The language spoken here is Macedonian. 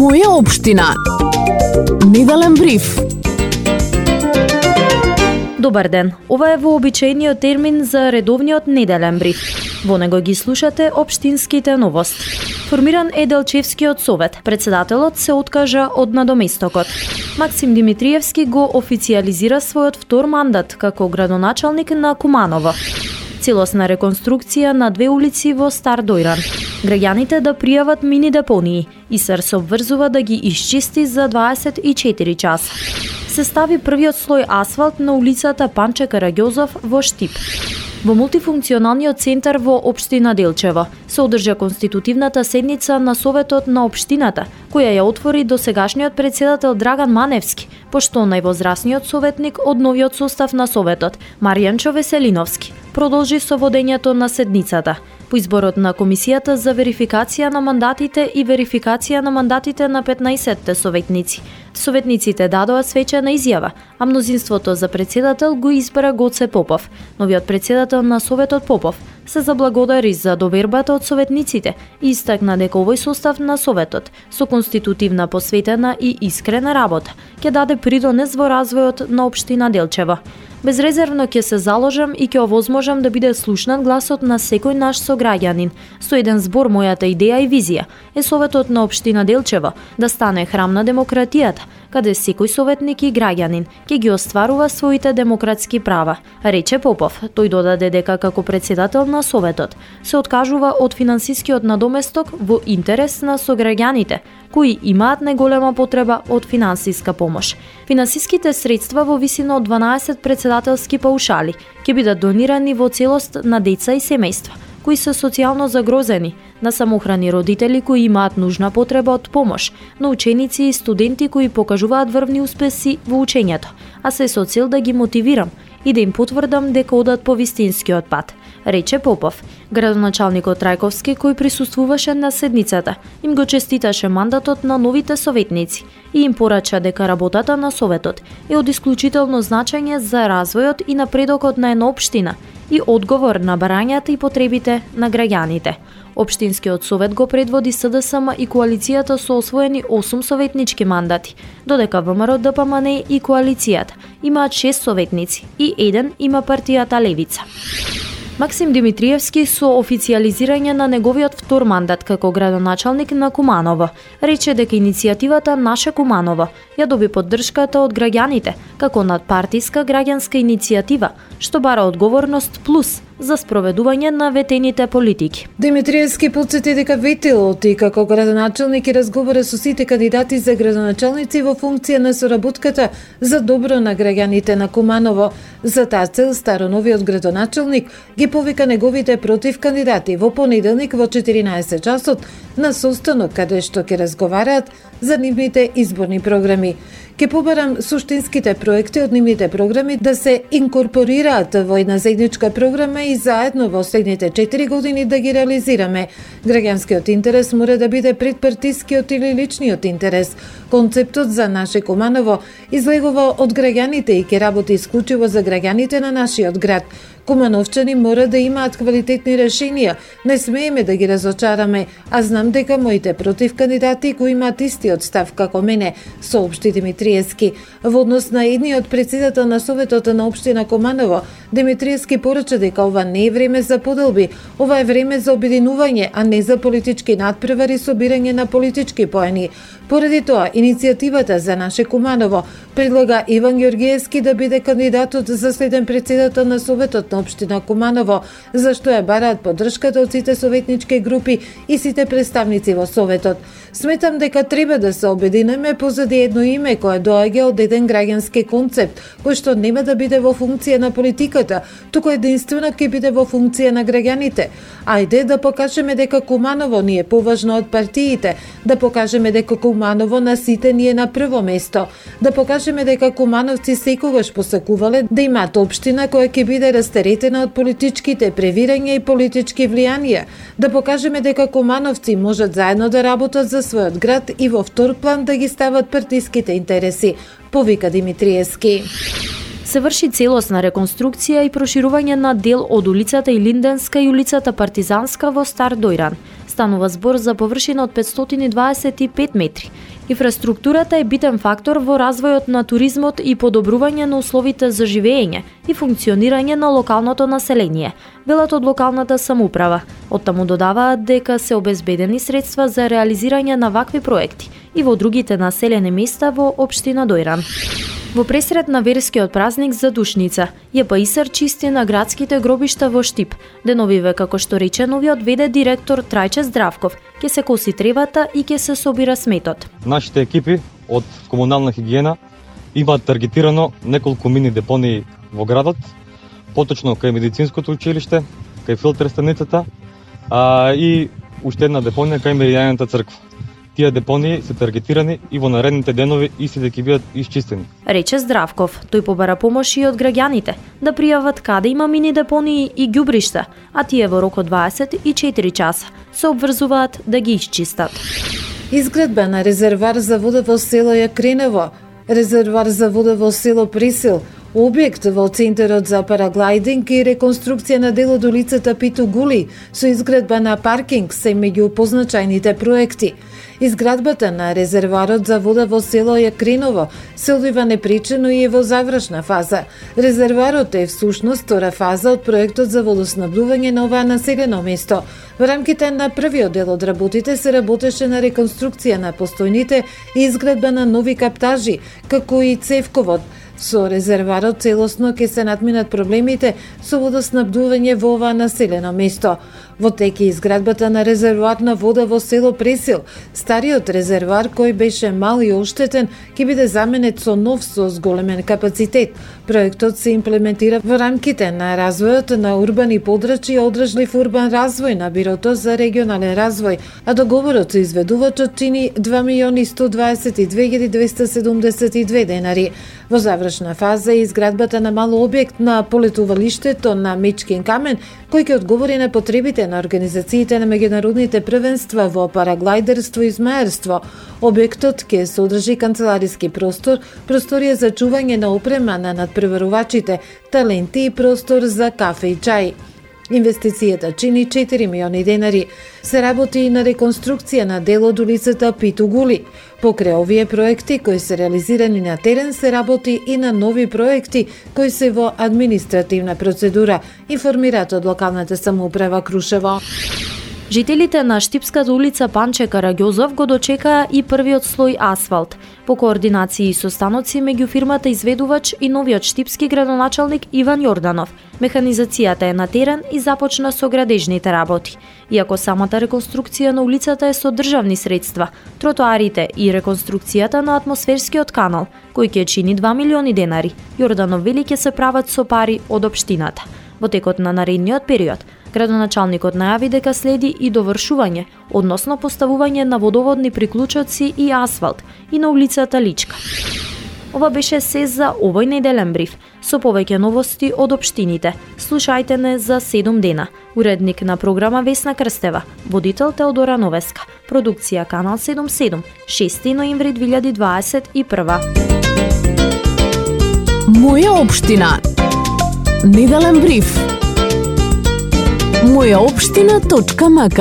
Моја општина. Неделен бриф. Добар ден. Ова е вообичаениот термин за редовниот неделен бриф. Во него ги слушате општинските новости. Формиран е Делчевскиот совет. Председателот се откажа од надоместокот. Максим Димитриевски го официализира својот втор мандат како градоначалник на Куманово. Целосна реконструкција на 2 улици во Стар Дојран. Граѓаните да пријават мини депонии. ИСР се обврзува да ги исчисти за 24 часа. Се стави првиот слој асфалт на улицата Панче Караѓозов во Штип. Во мултифункционалниот центар во општина Делчево се одржа конститутивната седница на Советот на општината, која ја отвори досегашниот председател Драган Маневски, пошто највозрасниот советник од новиот состав на Советот, Маријанчо Веселиновски, продолжи со водењето на седницата. По изборот на Комисијата за верификација на мандатите и верификација на мандатите на 15 советници. Советниците дадоа свечена изјава, а мнозинството за председател го избра Гоце Попов. Новиот председател на Советот Попов се заблагодари за довербата од советниците и истакна дека овој состав на Советот со конститутивна посветена и искрена работа ќе даде придонес во развојот на општина Делчево. Безрезервно ќе се заложам и ќе овозможам да биде слушнат гласот на секој наш сограѓанин. Со еден збор мојата идеја и визија е Советот на општина Делчево да стане храм на демократијата, каде секој советник и граѓанин ќе ги остварува своите демократски права, рече Попов. Тој додаде дека како председател на Советот се откажува од финансискиот надоместок во интерес на сограѓаните, кои имаат неголема потреба од финансиска помош. Финансиските средства во висина од 12 председателски паушали ќе бидат донирани во целост на деца и семејства кои се социјално загрозени, на самохрани родители кои имаат нужна потреба од помош, на ученици и студенти кои покажуваат врвни успеси во учењето, а се со цел да ги мотивирам и да им потврдам дека одат по вистинскиот пат, рече Попов. Градоначалникот Трајковски, кој присуствуваше на седницата, им го честиташе мандатот на новите советници и им порача дека работата на Советот е од исклучително значење за развојот и напредокот на една општина и одговор на барањата и потребите на граѓаните. Општинскиот совет го предводи СДСМ и коалицијата со освоени 8 советнички мандати, додека ВМРО ДПМН и коалицијата имаат 6 советници и 1 има партијата Левица. Максим Димитриевски со официализирање на неговиот втор мандат како градоначалник на Куманово рече дека иницијативата Наше Куманово ја доби поддршката од граѓаните како надпартиска граѓанска иницијатива што бара одговорност плюс за спроведување на ветените политики. Димитриевски потсети дека ветелот и како градоначалник и разговара со сите кандидати за градоначалници во функција на соработката за добро на граѓаните на Куманово. За таа цел староновиот градоначалник ги повика неговите против кандидати во понеделник во 14 часот на состанок каде што ќе разговараат за нивните изборни програми. Ке побарам суштинските проекти од нивните програми да се инкорпорираат во една заедничка програма и заедно во следните 4 години да ги реализираме. Граѓанскиот интерес мора да биде пред партискиот или личниот интерес. Концептот за Наше Куманово излегува од граѓаните и ќе работи исклучиво за граѓаните на нашиот град. Кумановчани мора да имаат квалитетни решенија, не смееме да ги разочараме, а знам дека моите против кандидати кои имаат истиот став како мене, соопшти Димитриевски. Во однос на едниот председател на Советот на општина Куманово, Димитриевски порача дека ова не е време за поделби, ова е време за обединување, а не за политички надпревари со бирање на политички поени. Поради тоа, иницијативата за Наше Куманово предлага Иван Ѓоргиевски да биде кандидатот за следен председател на Советот на општина Куманово, зашто ја бараат поддршката од сите советнички групи и сите представници во Советот. Сметам дека треба да се обединеме позади едно име кое доаѓа од еден граѓански концепт, кој што нема да биде во функција на политиката, туку единствено ќе биде во функција на граѓаните. Ајде да покажеме дека Куманово ни е поважно од партиите, да покажеме дека Куманово на сите ни е на прво место, да покажеме дека кумановци секогаш посакувале да имаат општина која ќе биде растеретена од политичките превирања и политички влијанија, да покажеме дека кумановци можат заедно да работат за својот град и во втор план да ги стават партиските интереси, повика Димитриевски. Се врши целосна реконструкција и проширување на дел од улицата Илинденска и улицата Партизанска во Стар Дојран. Станува збор за површина од 525 метри. Инфраструктурата е битен фактор во развојот на туризмот и подобрување на условите за живење и функционирање на локалното население, велат од локалната самоуправа. Оттаму додаваат дека се обезбедени средства за реализирање на вакви проекти и во другите населени места во општина Дојран. Во пресред на верскиот празник за Душница, ЈПИСР чисти на градските гробишта во Штип. Деновиве, како што рече новиот ВД директор Трајче Здравков, ќе се коси тревата и ќе се собира сметот. Нашите екипи од комунална хигиена имаат таргетирано неколку мини депонии во градот, поточно кај медицинското училиште, кај филтер станицата, и уште една депонија кај Меријаната црква. Тие депонии се таргетирани и во наредните денови исти ќе бидат исчистени. Рече Здравков, тој побара помош и од граѓаните да пријават каде има мини депонии и ѓубришта, а тие во рок од 24 часа се обврзуваат да ги исчистат. Изградба на резервар за вода во село Јакринево, резервар за вода во село Присил, објект во Центарот за параглайдинг и реконструкција на дел од улицата Питу Гули со изградба на паркинг се меѓу позначајните проекти. Изградбата на резерварот за вода во село Јакриново се одвива непречено и е во завршна фаза. Резерварот е всушност втора фаза од проектот за водоснабдување на оваа населено место. Во рамките на првиот дел од работите се работеше на реконструкција на постојните и изградба на нови каптажи, како и цевковод. Со резерварот целосно ќе се надминат проблемите со водоснабдување во ова населено место. Во тек е изградбата на резервоар на вода во село Пресил. Стариот резервоар, кој беше мал и оштетен, ќе биде заменет со нов со зголемен капацитет. Проектот се имплементира во рамките на развојот на урбани подрачја и одржлив урбан развој на Бирото за регионален развој, а договорот со изведувачот чини 2.122.272 денари. Во завршна фаза е изградбата на мал објект на полетувалиштето на Мечкин камен, кој ќе одговори на потребите на организациите на меѓународните првенства во параглайдерство и змаерство. Објектот ќе содржи канцелариски простор, просторија за чување на опрема на надпреварувачите, таленти и простор за кафе и чај. Инвестицијата чини 4 милиони денари. Се работи и на реконструкција на дел од улицата Питу Гули. Покрај овие проекти кои се реализирани на терен, се работи и на нови проекти кои се во административна процедура, информираат од локалната самоуправа Крушево. Жителите на Штипската улица Панче Караѓозов го дочекаа и првиот слој асфалт. По координации и состаноци меѓу фирмата изведувач и новиот штипски градоначалник Иван Јорданов, механизацијата е на терен и започна со градежните работи. Иако самата реконструкција на улицата е со државни средства, тротоарите и реконструкцијата на атмосферскиот канал, кој ќе чини 2 милиони денари, Јорданов вели ќе се прават со пари од општината. Во текот на наредниот период, градоначалникот најави дека следи и довршување, односно поставување на водоводни приклучоци и асфалт и на улицата Личка. Ова беше се за овој неделен бриф. Со повеќе новости од општините, слушајте не за 7 дена. Уредник на програма Весна Крстева, водител Теодора Новеска, продукција Канал 77, 6 ноември 2021. Моја општина. Неделен бриф. Мојаопштина.мк